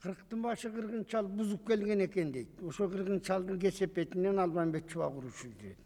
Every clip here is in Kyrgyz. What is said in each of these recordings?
Кырктын башы кыргын чал бузуп келген экен дейт. Ошо кыргын чалдын кесепетинен Албанбек чубак урушу жүрөт.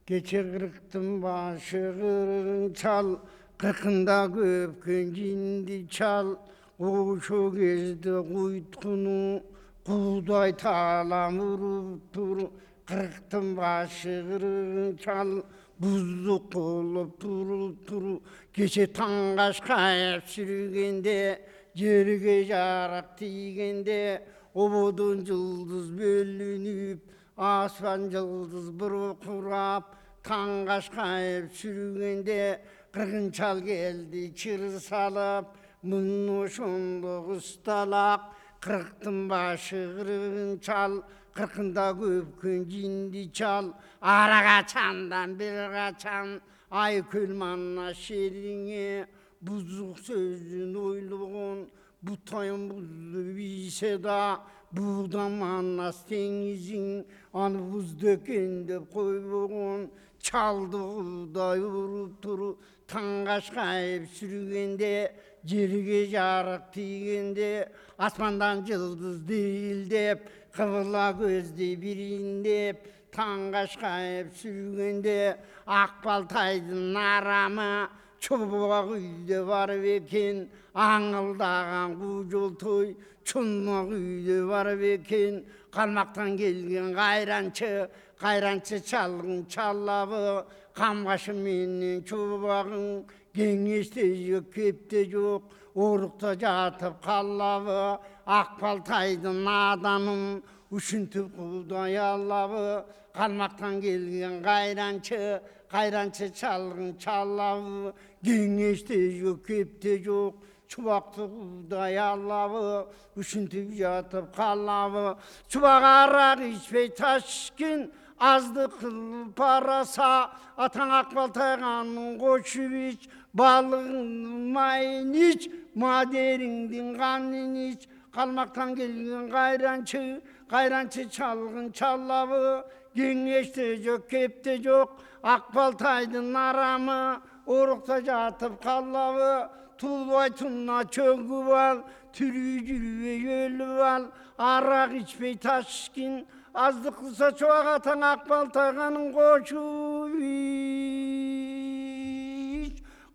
Кече кырктын башы кыргын чал, кыркында көпкөн жинди чал, ошо кезде куйткуну куудай таалам уруптур. Кырктын башы кыргын чал, буздук болуп туруптур. Кече таң кашкайып сүргенде, жерге жарак тийгенде, ободон жылдыз бөлүнүп, аспан жылдыз буркурап. Таң кашкайып сүргенде, кыргын чал келди чыр салып, мын ошондо кысталак. Кырктын башы кыргын чал, кыркында көпкөн жинди чал, ара качандан бир качан айкөл манна шериңе. Бузук сөздүн ойлогон бутайын бузду бийсе да, буудан маннас теңизиң, аны бузду экен деп койбогон. Чалды куудай уруптур. Таң кашкайып сүргенде, жерге жарык тийгенде, аспандан жылдыз дирилдеп, кыбыла көздөй бириндеп. Таң кашкайып сүргенде, ак балтайдын арамы чубак үйдө барып экен. Аңылдаган куу жолтой чулмак үйдө барып экен. Калмактан келген кайранчы чалгын чаллабы, камбашы менен чубагың, кеңеште жок, кепте жок, орукта жатып каллабы. Ак балтайдын адамын ушинтип куудай аллабы. Калмактан келген кайранчы чалгын чаллабы, кеңеште жок, кепте жок, чубакты куудай аллабы. Ушинтип жатып каллабы. Чубак арак ичпей таш ичкен, аздык кылып араса. Атаң ак балтайганын кочуп ич, балыгыңдын майын ич, мадериңдин канын ич. Калмактан келген кайранчы чалгын чаллабы, кеңеште жок, кепте жок, ак балтайдын арамы орукта жатып каллабы. Тулбай тунна чөгүп ал, тирүү жүрбөй өлүп ал, арак ичпей таш ичкен, аздык кылса чубак атаң ак балтайганын кочуп ич.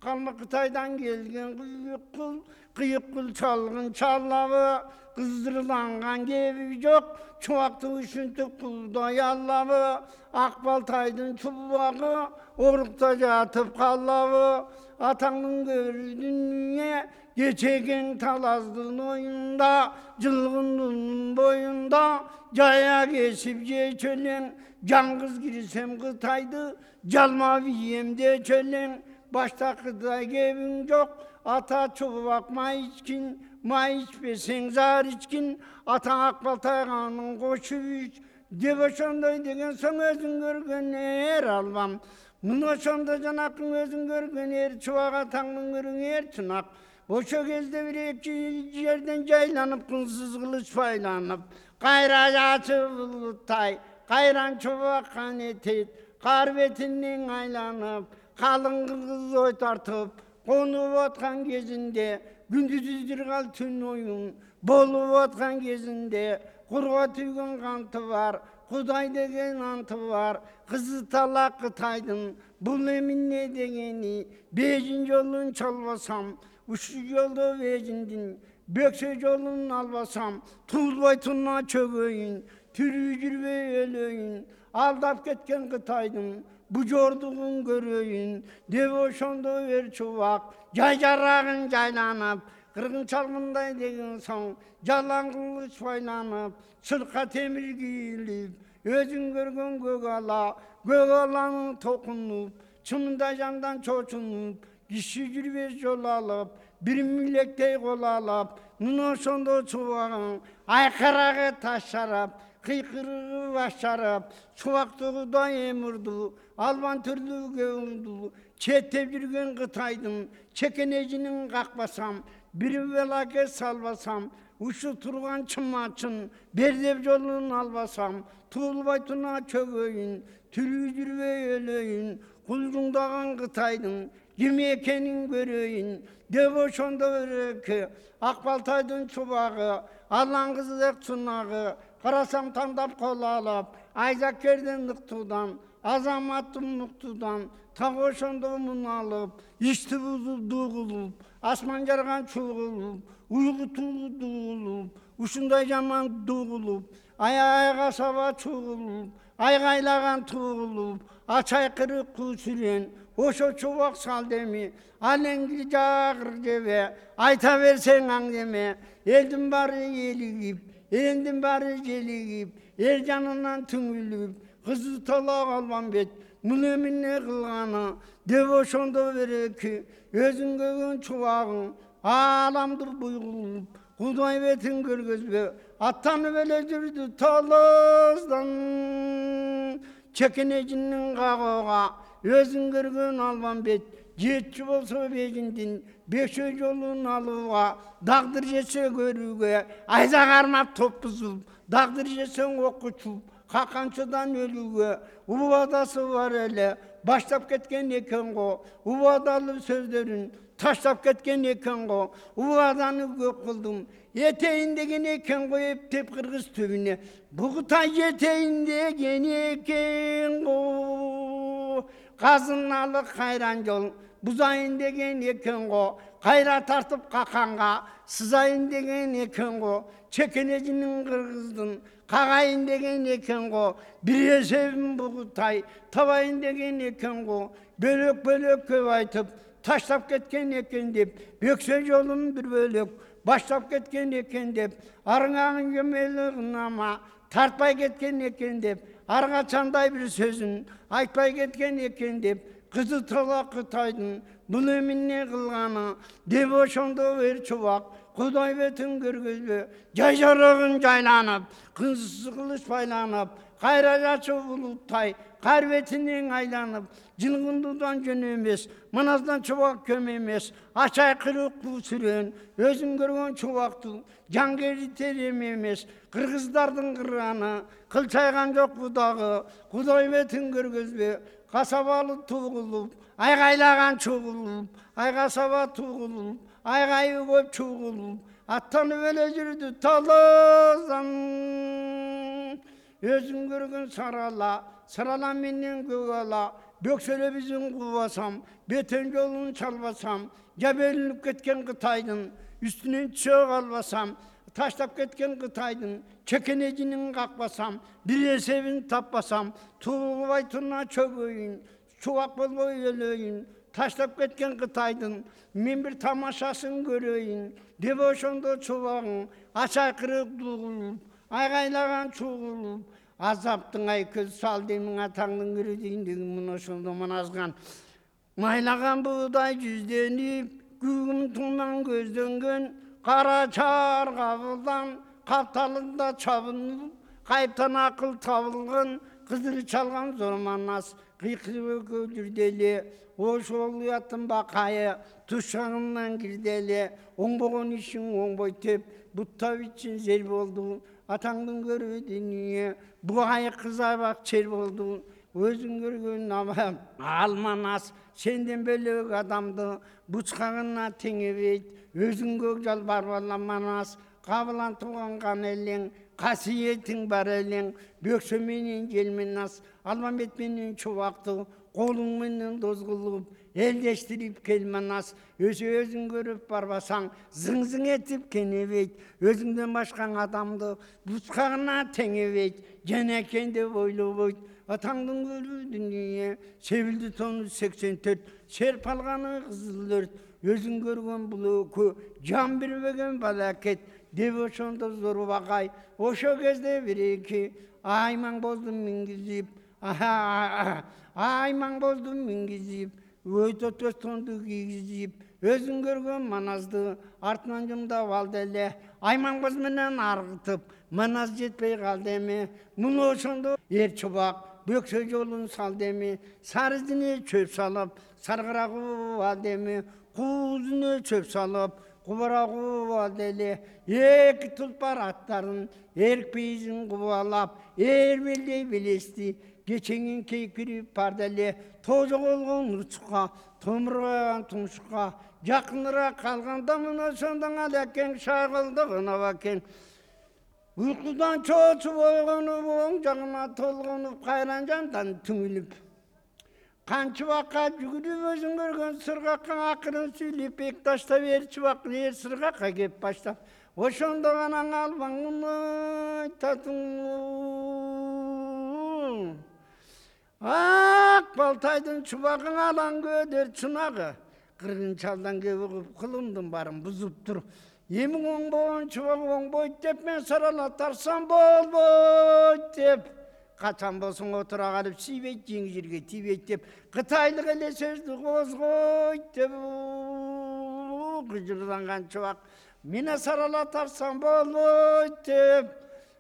Калмак Кытайдан келген кыйык кул чалгын чаллабы, кыздырыланган кеби жок, чубакты ушинтип куудай аллабы. Ак балтайдын чубагы орукта жатып каллабы. Атаңдын көрдүнүне кечеген талаздын оюнда, жылгындын боюнда жая кесип жечү элең. Жаңгыз кирсем Кытайды, жалма биемде чөлең. Башта Кытай кебиң жок, ата чубак май ичкин, май ичпесең зар ичкин. Атаң ак балтайганын кочуп ич, деп ошондой деген соң өзүң көргөн эр албам. Мына ошондо жанакың өзүң көргөн эр, чубак атаңдын көргөн эр чынак. Ошо кезде бир эки жерден жайланып, кынсыз кылыч байланып, кайра жачы булуттай, кайран чубак канетет, кар бетинен айланып, калың кыз ой тартып, конуп аткан кезинде, күндүзү кал түн оюн болуп аткан кезинде, курга түйгөн канты бар, Кудай деген анты бар. Кызы талак Кытайдын, бул эмне дегени? Бежин жолун чалбасам, ушул жолдо бежиндин бөксө жолун албасам, тулбай тунна чөгөйүн, тирүү жүрбөй өлөйүн. Алдап кеткен Кытайдын бу жордугун көрөйүн, деп ошондо эр чубак жай жарагын жайланып, кыргын чалгындай деген соң жалаң кылыч байланып, чырка темир кийилип, өзүң көргөн көк аланын токунуп, чымында жандан чочунуп, киши жүрбөс жол алып, бир милектей кол алып, мына ошондо чубагың айкарага таш жарап, кыйкырыгы баш жарап, чубакты Кудай эмурду, албан түрлүү көңүлдүү, четтеп жүргөн Кытайдын чекенежинин какпасам, бир белаке салбасам, ушу турган чымачын бердеп жолун албасам, туулбай туна чөгөйүн, тирүү жүрбөй өлөйүн. Кулжуңдаган Кытайдын ким экенин көрөйүн деп ошондо береке. Ак Балтайдын чубагы, Аллан кызык чунагы, карасам тандап кол алып, Айзакерден ыктуудан, Азаматтын муктуудан, так ошондо мун алып, ишти бузуп дугулуп, асман жарган чугулуп, уйгутуу дугулуп, ушундай жаман дугулуп, аяга саба чугулуп, айгайлаган тугулуп, ачайкырып күүсүрен, ошо чубак сал деми, алеңги жагыр жебе, айта берсең аңдеме, элдин баары элигип, элдин баары желигип, эл жанынан түңүлүп, кызы тола калган бет, муну эмне кылганы деп ошондо береки, өзүң көгөн чубагың, ааламды буйгулуп, Кудай бетин көргөзбө, аттанып эле жүрдү толоздан, чекенежинин кагууга, өзүң көргөн албан бет, жетчү болсо бегиндин, бешөө жолун алууга, дагдыр жесе көрүүгө, айза кармап топ бузуп, дагдыр жесең окко чуп, каканчадан өлүүгө, убадасы бар эле, баштап кеткен экен го, убадалуу сөздөрүн таштап кеткен экен го, убаданы көп кылдым, этейин деген экен го, эптеп кыргыз түбүнө, бугутай жетейин деген экен го, казыналык кайран жол, бузайын деген экен го, кайра тартып каканга, сызайын деген экен го, чекенежинин кыргыздын, кагайын деген экен го, бир эсебин бугутай, табайын деген экен го, бөлөк көп айтып, таштап кеткен экен деп, бөксө жолун бир бөлөк, баштап кеткен экен деп, арыңагын жемели кынама, тартпай кеткен экен деп, ар качандай бир сөзүн айтпай кеткен экен деп, кызы тола Кытайдын бул эмне кылганы деп ошондо бер чубак, Кудай бетин көргөзбө, жай жарыгын жайланып, кызы кылыч байланып, кайра жачуу булуттай, кар бетинен айланып, жылгындуудан жөн эмес, маназдан чубак көм эмес, ачайкырып күүсүрөн, өзүң көргөн чубакты, жангеритер эмес, кыргыздардын кыраны, кылчайган жок будагы, Кудай бетин көргөзбө, касабалы тугулуп, айгайлаган чугулуп, айгасаба тугулуп, айгайы көп чугулуп, аттанып эле жүрдү толоздан, өзүң көргөн сарала менен көк ала, бөксөлө бизин кубасам, бетен жолун чалбасам, жабелинип кеткен Кытайдын үстүнөн түшө калбасам, таштап кеткен Кытайдын чекенежинин какпасам, бир эсебин таппасам, туулбай туруна чөгөйүн, чубак болбой өлөйүн, таштап кеткен Кытайдын мен бир тамашасын көрөйүн деп ошондо чубагың, ачайкырып дугулуп, айгайлаган чугулуп, азаптың ай көз сал демин атаңдын көрөдүйүндөгүн муну ошондо маназган. Майлаган буудай жүзденип, күгүм туңнан көздөнгөн, кара чаар кабылдан, капталында чабынып, кайыптан акыл табылган, кызыр чалган зор манас, кыйкырып жүрдү эле, ошол уяттын бакайы, тушагынан кирди эле, оңбогон ишиң оңбойт деп, буттап ичин зер болду, атаңдын көрүү дүнүйө, бугай кызабак чер болду, өзүң көргөн абам, алманас, сенден бөлөк адамды, бучкагына теңебейт, өзүң көк жал барбаламанас, кабылан тууган кан элең, касиетиң бар элең, бөксө менен желменас, Албанбет менен чубакты, колуң менен дозгулуп, элдештирип келманас, өзүң көрүп барбасаң, зың этип кенебейт, өзүңдөн башка адамды бучкагына теңебейт, жана экен деп ойлобойт, атаңдын көрүү дүнүйө, себилди тону 84, серп алганы кызыл өрт, өзүң көргөн бул өкү, жан бербеген балакет, деп ошондо зор багай, ошо кезде бир-эки аймаң болдум мингизип, аймаң болдум мингизип, өйтөтөс тонду кийгизип, өзүң көргөн маназды артынан жумдап алды эле, аймаң боз менен аргытып, маназ жетпей калды эми, муну ошондо эр чубак, бөксө жолун салды эми, сары изине чөп салып, саргырагуу алды эми, куузуна чөп салып, кубарагуу алды эле, эки тулпар аттарын, эрк бейизин кубалап, эр белдей белести, кечеңин кейкирип барды эле тожо болгон урчукка томурган тумшукка жакыныраак калганда мына ошондон алекең шагылдыгына бакең уйкудан чоочуп ойгонуп оң жагына толгонуп кайран жандан түңүлүп канчы убакка жүгүрүп өзүң көргөн сыргакка акырын сүйлөп бек таштап чубак эр сыргакка кеп баштап ошондо гана албаңын айтатың ак балтайдын чубагың алаң көөдөр чунагы кыргын чалдан кеп угуп кылымдын баарын бузуптур эми оңбогон чубак оңбойт деп мен сарала тарсам болбойт деп качан болсоң отура калып тийбейт жеңи жерге тийбейт деп кытайлык эле сөздү козгойт деп кыжырланган чубак мени сарала тарсам болбойт деп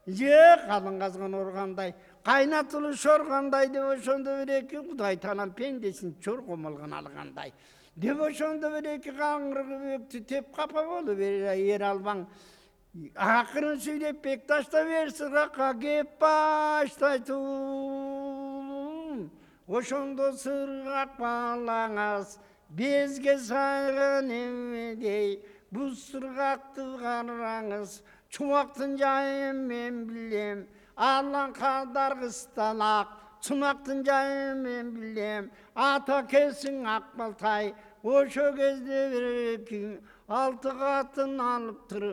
же калың казган ургандай кайнатылы шоргандай деп ошондо бир эки кудай таанам пендесин чор комолгон алгандай деп ошондо бир эки каңгырыкту теп капа болуп эр албаң акырын сүйлөп бек таштап эр сыргакка кеп баштайтын ошондо сыргак балаңыз безге сайган эмедей бул сыргакты караңыз чубактын жайын мен билем алан калдаргысталак чунактын жайын мен билем ата келсиң ак балтай ошо кезде бир эки алты катын алыптыр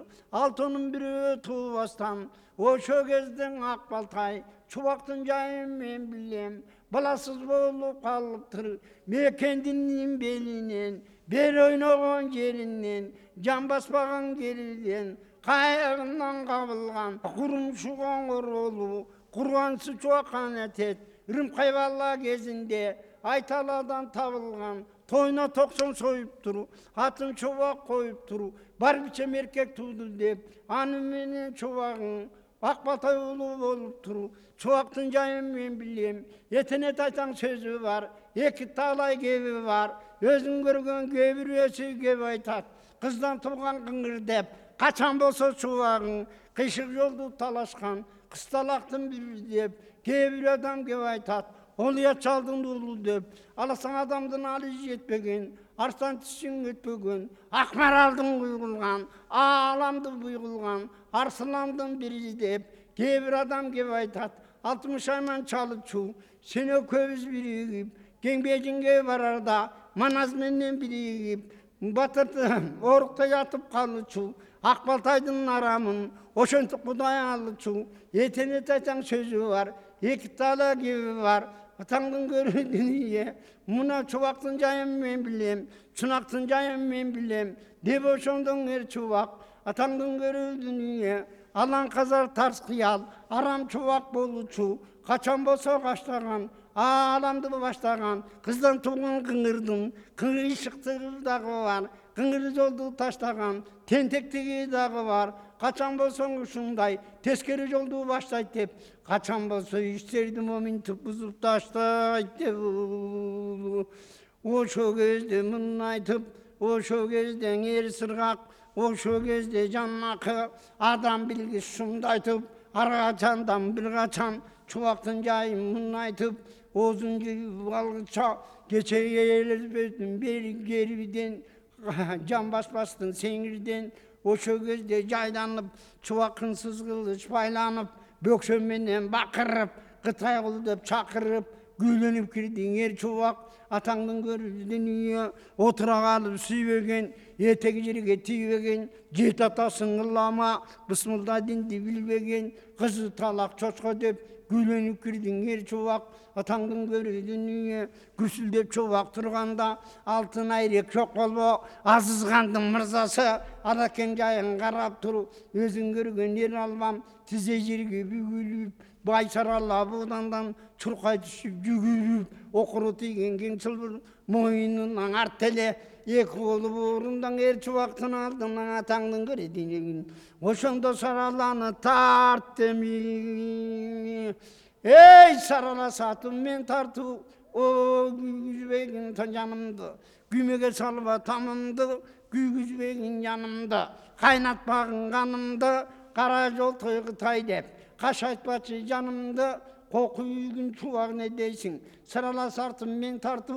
алтынын бирөө туубастан ошо кезден ак балтай чубактын жайын мен билем баласыз болуп калыптыр мекендинин белинен бер ойногон жеринен жан баспаган жеринен кайыгынан кабылган курумшу коңгур болуп курганчы чубаккан этет Ырымкай бала кезинде Айталадан табылган тойна 90 союп туру атын чубак коюп туру бар бичем эркек тууду деп аны менен чубагың ак балтай уулу болуп туру чубактын жайын мен билем этенет айтаң сөзү бар эки талай кеби бар өзүң көргөн кээ бирөөсү кеп айтат кыздан тууган кыңыр деп качан болсо чубагың кыйшык жолду талашкан кысталактын бири деп кээ бир адам кеп айтат Олуя чалдың уулу деп аласаң адамдын алы жетпеген арстан тишиң өтпөгөн акмаралдын куйгулган ааламды буйгулган арсыламдын бири деп кээ бир адам кеп айтат 60 айман чалычу сен экөөбүз биригип кеңбежинге барарда маназ менен биригип батырды орукта ятып калычу ак балтайдын арамын ошентип кудай алычу этенет айтаң сөзү бар эки тала кеби бар атаңдын көрүү дүнүйө мына чубактын жайын мен билем чунактын жайын мен билем деп ошондон эр чубак атаңдын көрүү дүнүйө алан казар тарс кыял арам чубак болучу качан болсо баштаган ааламды баштаган кыздан тууган кыңырдын кыйшыктыгы дагы бар кыңыр жолду таштаган тентектиги дагы бар качан болсоң ушундай тескери жолду баштайт деп качан болсо иштерди моминтип бузуп таштайт деп ошо кезде мын айтып ошо кезде эр сыргак ошо кезде жанакы адам билгис шумду айтып ар качандан бир качан чубактын жайын мын айтып оозун жыйып алгыча кечеге элизбеттин бери керибиден жан баспастын сеңирден ошо кезде жайланып чубакын сызгылыч байланып бөксө менен бакырып кытай кул деп чакырып күүлөнүп кирдиң эр чубак атаңдын көрүү дүнүйө отура калып сүйбөгөн этеги жерге тийбеген жет атасын ылама бысмылда динди билбеген кызы талак чочко деп күүлөнүп кирдиң эр чубак атаңдын көрүү дүнүйө күсүлдөп чубак турганда алтын айрек жок болбо азызгандын мырзасы алакең жайын карап туруп өзүң көргөн эр албам тизе жерге бүгүлүп бай сарала буудандан чуркай түшүп жүгүрүп окуру тийген кең чылбыр моюнунан арт эле эки колу боорундан эр чубактын алдынан атаңдын көрүү дүнүйө ошондо сараланы тарт деми эй сарала сатым мен тартуу күйгүзбегин жанымды күймөгө салба тамымды күйгүзбегин жанымды кайнатпагын канымды кара жол той Кытай деп каш айтпачы жанымды Koku yügün çuvak ne deysin. Sarala sartım men tartı.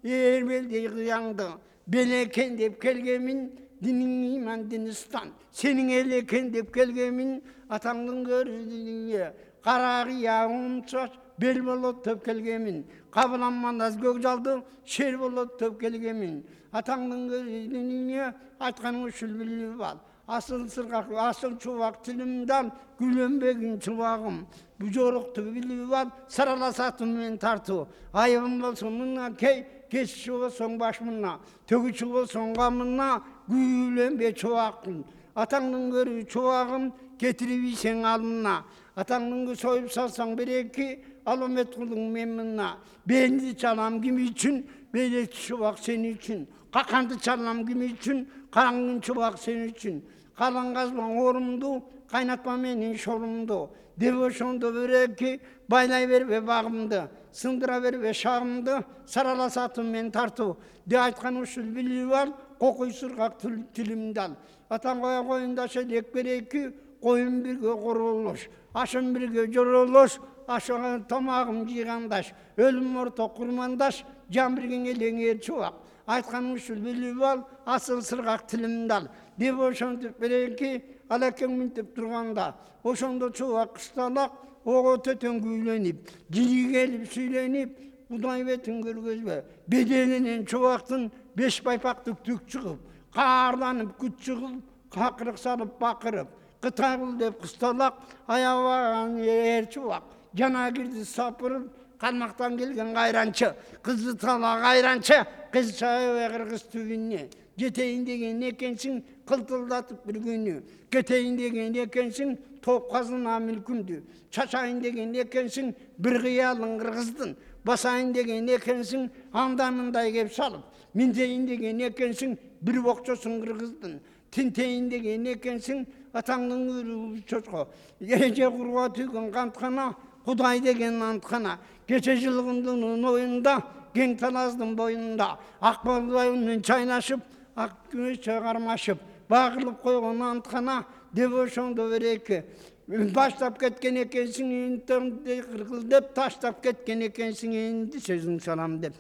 Erbeldeyi kıyandı. Beleken dep kelgemin. Dinin iman dinistan. Senin eleken dep kelgemin. Atandın görüldüğüne. Kararı yağım çaş. Bel bolup töp kelgemin. Kabılanmandaz gök jaldı. Şer bolup töp kelgemin. Atandın görüldüğüne. Aytkanın usul bilip al. Asıl sırgak, asıl çuvak tilimden gülönbegin çuvagım. Bu joruktu bilip al, saralasatım men tartı. Ayıbım bolsun mına key, geçişi olsun başmına. Tögüçü olsun gamına, gülönbe çuvakım. Atandın görü çuvagım, getirip isen almına. Atandın soyup salsan bir eki, alamet kılın memnuna. Beğendi çalam kimi için, beylek çuvak senin için. Kakandı çalam kimi için, karangın çubak senin için. Kalan gazman orumdu, kaynatma menin şorumdu. Devoşondu böreki, baylay ver ve bağımdı. Sındıra ver ve şağımdı, sarala satım men tartı. De aytkan usul bilip var, kokuy sırgak tilimdal. Atan koya koyunda şelek bereki, koyun birge koruluş. Aşın birge joruluş, aşığa tamağım jigandaş. Ölüm orta kurmandaş, can birgen elenger çuvak. Aytkan usul bilip al, asıl sırgak tilimdal. Dep oşontуп беренки алакең минтип турганда, ошондо чубак кысталак, ого төтөн күйленип, жири келип сүйленип, Кудай бетин көргөзбө. Беделинен чубактын 5 байпактык түк чыгып, каарланып күт чыгып, какырык салып бакырып, Кытай кыл деп кысталак, аябаган эр чубак, жана кирди сапырып, Калмактан келген кайранчы, кызды тала кайранчы, кыз чайы кыргыз түбүнө. Жетейин деген экенсиң, кылтылдатып bir күнү. Кетейин деген экенсиң, топ казына мүлкүндү. Чачайын деген экенсиң, bir кыялың кыргыздын. Басайын деген экенсиң, анданындай кеп салып. Минтейин деген экенсиң, bir бокчосуң кыргыздын. Тинтейин деген экенсиң, атаңдын үрү чочко. Эже курга түйгөн канткана, Кудай деген анткана. Кече жылгындын оюнда, кең талаздын боюнда, ак балбайынын чайнашып, ак күмүш чыгармашып, багылып койгон анткана, деп ошондо береки. Баштап кеткен экенсиң, интернетте кыргылдеп, таштап кеткен экенсиң, энди сөзүң салам деп.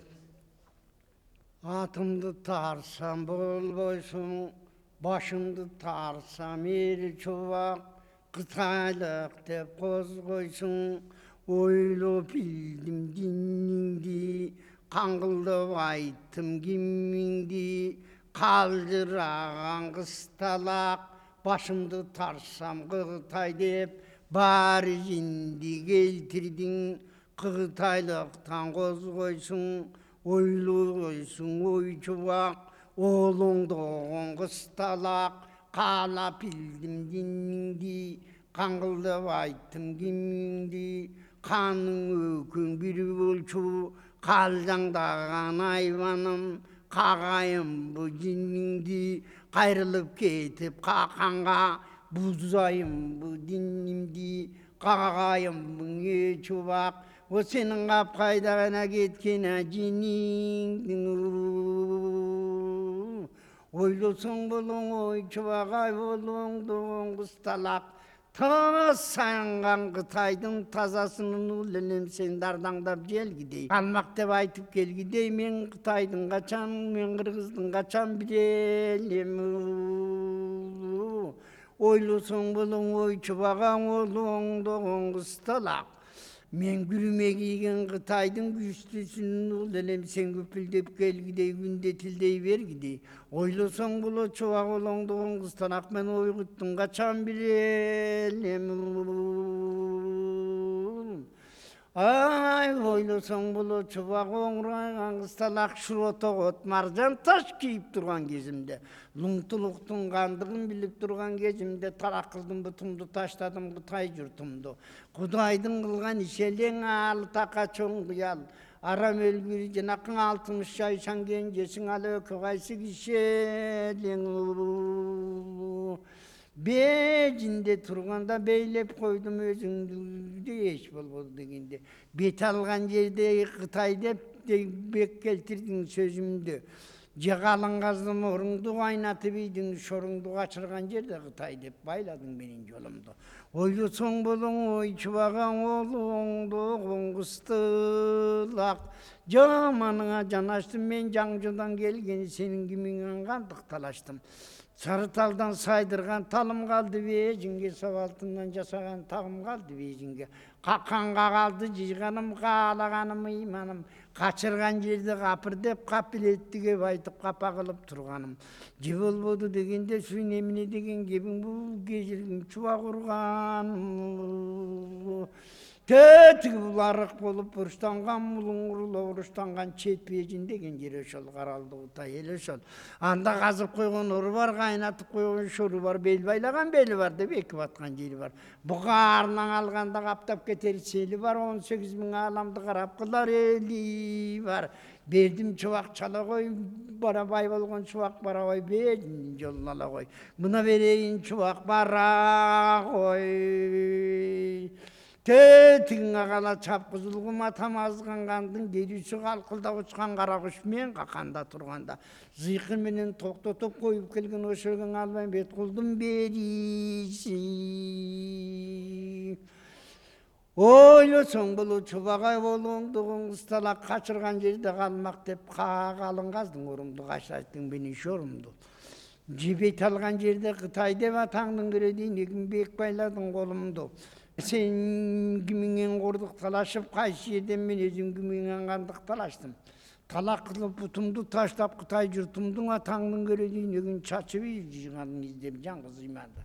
Атымды тарсам болбойсуң, башымды тарсам эр чубак, Кытайлык деп козгойсуң, ойлоп билдим диниңди, каңгылдап айттым кимиңди, калжыраган кысталак, башымды тарсам Кытай деп, баары жинди келтирдиң, Кытайлыктан козгойсуң, ойлойсуң ой чубак, олоңдогон кысталак, каалап билдим диниңди, каңгылдап айттым кимиңди, каның өкүң бир болчу, калжаңдаган айбаным, кагайым бу жиниңди, кайрылып кетип каканга, бузайым бу динимди, кагайым бу чубак, о сенин капкайдагана кеткен жиниңдин. Ойлосоң болоң ой чубак, ай болоңдогон кысталак, таз саянган Кытайдын тазасынын ул элем сен дардаңдап желгидей. Калмак деп айтып келгидей, мен Кытайдын качан, мен Кыргыздын качан билем. Ойлосоң болоң ой чубак, ай болоңдогон кысталак, мен күрүмө кийген Кытайдын күчтүүсүнүн ул элем сен көпүлдөп келгидей, күндө тилдей бергидей. Ойлосоң болот чубак, олоңдогон кысталак, мен ойгуттум качан билем. Ай, ойлосоң болот чубак, оңрайган кысталак, шуротогот маржан таш кийип турган кезимде, луңтулуктун кандыгын билип турган кезимде, тарак кылдым бутумду, таштадым Кытай журтумду. Кудайдын кылган иши элең аалы така чоң кыял. Арам өлгүр жанакың 60 жай шанген жесиң, ал өкө кайсы киши элең. Бежинде турганда бейлеп койдум өзүңдү, эч болбоду дегенде. Бет алган жерде Кытай деп бек келтирдиң сөзүмдү. Жагалың каздым оруңду, кайнатып ийдиң шоруңду, качырган жерде Кытай деп байладың менин жолумду. Ойлосоң болоң ой чубаган оолуңду коңгустулак. Жаманыңа жанаштым мен жаңжыдан келген, сенин кимиңен кандык талаштым. Сары талдан сайдырган талым калды бежинге, сабалтынан жасаган тагым калды бежинге. Какканга калды жыйганым, каалаганым ыйманым. Качырган жерде капыр деп капилеттиге айтып капа кылып турганым. Же болбоду дегенде сүйүн эмне деген кебиң, бул кежиргин чубак урган. Тетиги бул арык болуп уруштанган, мулуңурло уруштанган чет бежин деген жер ошол Каралдыгыта эл ошол. Анда казып койгон ору бар, кайнатып койгон шору бар, бел байлаган бели бар деп эки баткан жери бар. Бугаарынан алганда каптап кетер сели бар, 18.000 аламды карап кылар эли бар. Бердим чубак чала кой, бара бай болгон чубак бара кой, бежиндин жолун ала кой. Мына берейин чубак бара кой. Тетиңе кала чапкызылгыма тамазгангандын керүүсү калкылдап учкан кара куш мен каканда турганда. Зыйкы менен токтотуп коюп келген ошогон албайм бет кулдум бериси. Ойлосоң болу чубагай болуңду коңгусталак, качырган жерде калмак деп калыңгаздың орумду, качырайттың менин шорумду. Жебейт алган жерде Кытай деп атаңдын көрөдүйн, эгин бек байладың колумду. Сен кимиңен кордук талашып, кайсы жерден мен өзүм кимиңен кандык талаштым. Талак кылып бутумду таштап, Кытай журтумдун атаңдын көрөдүйн, эгин чачып жыйганым издеп жаңгыз ыйманды.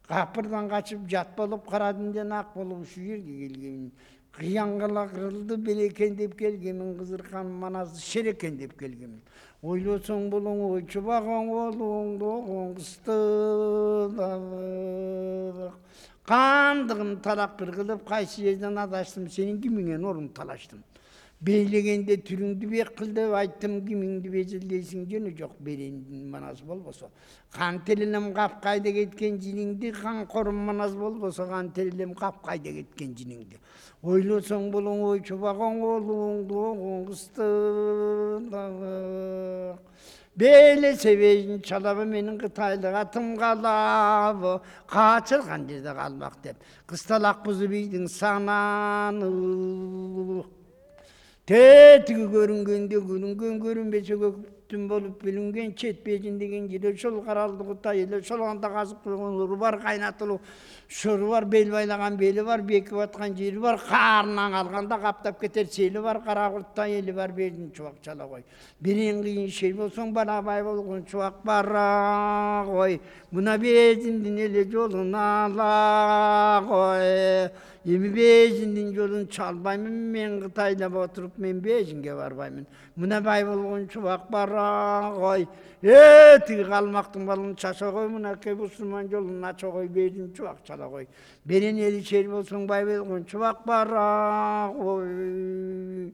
Капырдан качып жат болуп, кара дүндөн ак болуп ушу жерге келгемин. Кыянгала кырылды белекен деп келгемин, кызыркан маназды шерекен деп келгемин. Ойлосоң болоң ой чубаган оолуңду коңгустулак. Кандыгым талак бир кылып, кайсы жерден адаштым, сенин кимиңен орун талаштым. Бейлегенде түрүңдү бек кыл деп айттым, кимиңди безилдейсиң, жөнү жок берендин манас болбосо. Кан телинем капкайда кеткен жиниңди, кан корум манас болбосо, кан телинем капкайда кеткен жиниңди. Ойлосоң болоң ой чубаган оолуңду коңгустулак. Бейле себежин чалабы менин Кытайлык атым калабы, качырган жерде калмак деп. Кысталак бузу бийдиң сананы. Тетиги көрүнгөндө көрүнгөн, көрүнбөсө көктүм болуп бүлүнгөн, чет бежин деген жер ошол Каралдыгыта эл ошол. Анда казып койгон уру бар, кайнатылуу шору бар, бел байлаган бели бар, бекип аткан жери бар, каарынан алганда каптап кетер сели бар, кара курттай эли бар, бердин чубак чала кой. Берен кыйын шер болсоң бара бай болгон чубак бара кой. Мына безиндин эле жолун ала кой. Эми бежиндин жолун чалбаймын мен, Кытайда отуруп мен бежинге барбаймын. Мына бай болгон чубак бара кой. Тиги калмактын балын чача кой, мынакей мусулман жолун ача кой, бежин чубак чала кой. Берен эли шер болсоң бай болгон чубак бара кой.